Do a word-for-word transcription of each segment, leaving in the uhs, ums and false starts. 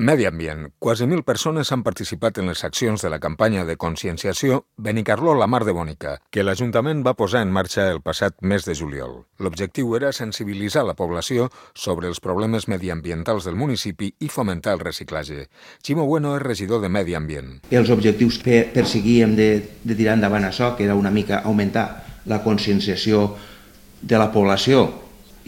Medi ambient. Quasi mil persones han participat en les accions de la campanya de conscienciació Benicarló la Mar de Bònica, que l'Ajuntament va posar en marxa el passat mes de juliol. L'objectiu era sensibilitzar la població sobre els problemes mediambientals del municipi i fomentar el reciclatge. Ximo Bueno és regidor de Medi Ambient. Els objectius que perseguíem de, de tirar endavant això, que era una mica augmentar la conscienciació de la població,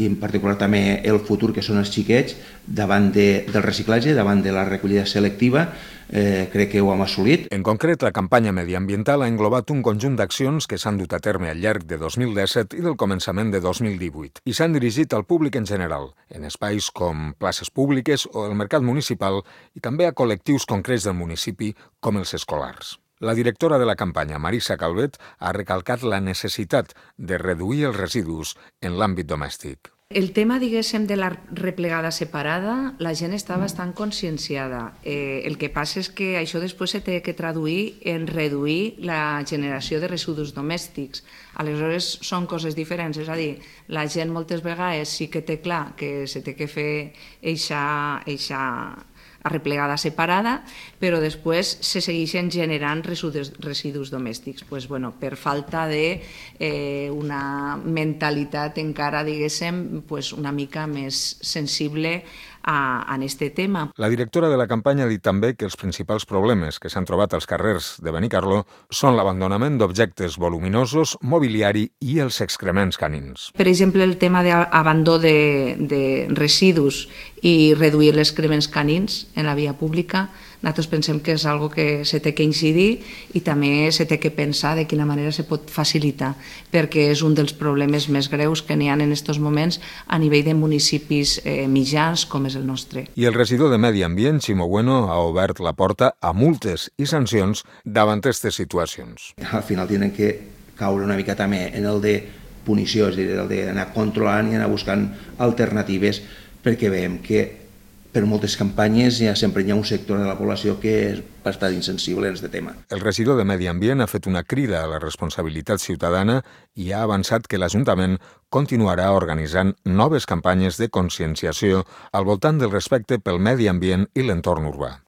i en particular també el futur, que són els xiquets, davant de, del reciclatge, davant de la recollida selectiva, eh, crec que ho hem assolit. En concret, la campanya mediambiental ha englobat un conjunt d'accions que s'han dut a terme al llarg de dos mil disset i del començament de dos mil divuit i s'han dirigit al públic en general, en espais com places públiques o el mercat municipal i també a col·lectius concrets del municipi com els escolars. La directora de la campanya, Marisa Calvet, ha recalcat la necessitat de reduir els residus en l'àmbit domèstic. El tema, diguéssim, de la replegada separada, la gent està bastant conscienciada. Eh, el que passa és que això després se té que traduir en reduir la generació de residus domèstics. Aleshores, són coses diferents, és a dir, la gent moltes vegades sí que té clar que se té que fer eixa, eixa arreplegada separada, però després se segueixen generant residus, residus domèstics. Pues, bueno, per falta de eh, una mentalitat encara, diguéssim, pues, una mica més sensible a, a este tema. La directora de la campanya ha dit també que els principals problemes que s'han trobat als carrers de Benicarló són l'abandonament d'objectes voluminosos, mobiliari i els excrements canins. Per exemple, el tema d'abandó de, de residus i reduir els excrements canins en la via pública, nosaltres pensem que és algo que se té que incidir i també se té que pensar de quina manera se pot facilitar, perquè és un dels problemes més greus que n'hi ha en aquests moments a nivell de municipis eh, mitjans com és el nostre. I el regidor de Medi Ambient, Ximo Bueno, ha obert la porta a multes i sancions davant aquestes situacions. Al final tenen que caure una mica també en el de punició, és a dir, el d'anar controlant i anar buscant alternatives, perquè veiem que per moltes campanyes ja sempre hi ha un sector de la població que és bastant insensible en aquest tema. El regidor de Medi Ambient ha fet una crida a la responsabilitat ciutadana i ha avançat que l'Ajuntament continuarà organitzant noves campanyes de conscienciació al voltant del respecte pel medi ambient i l'entorn urbà.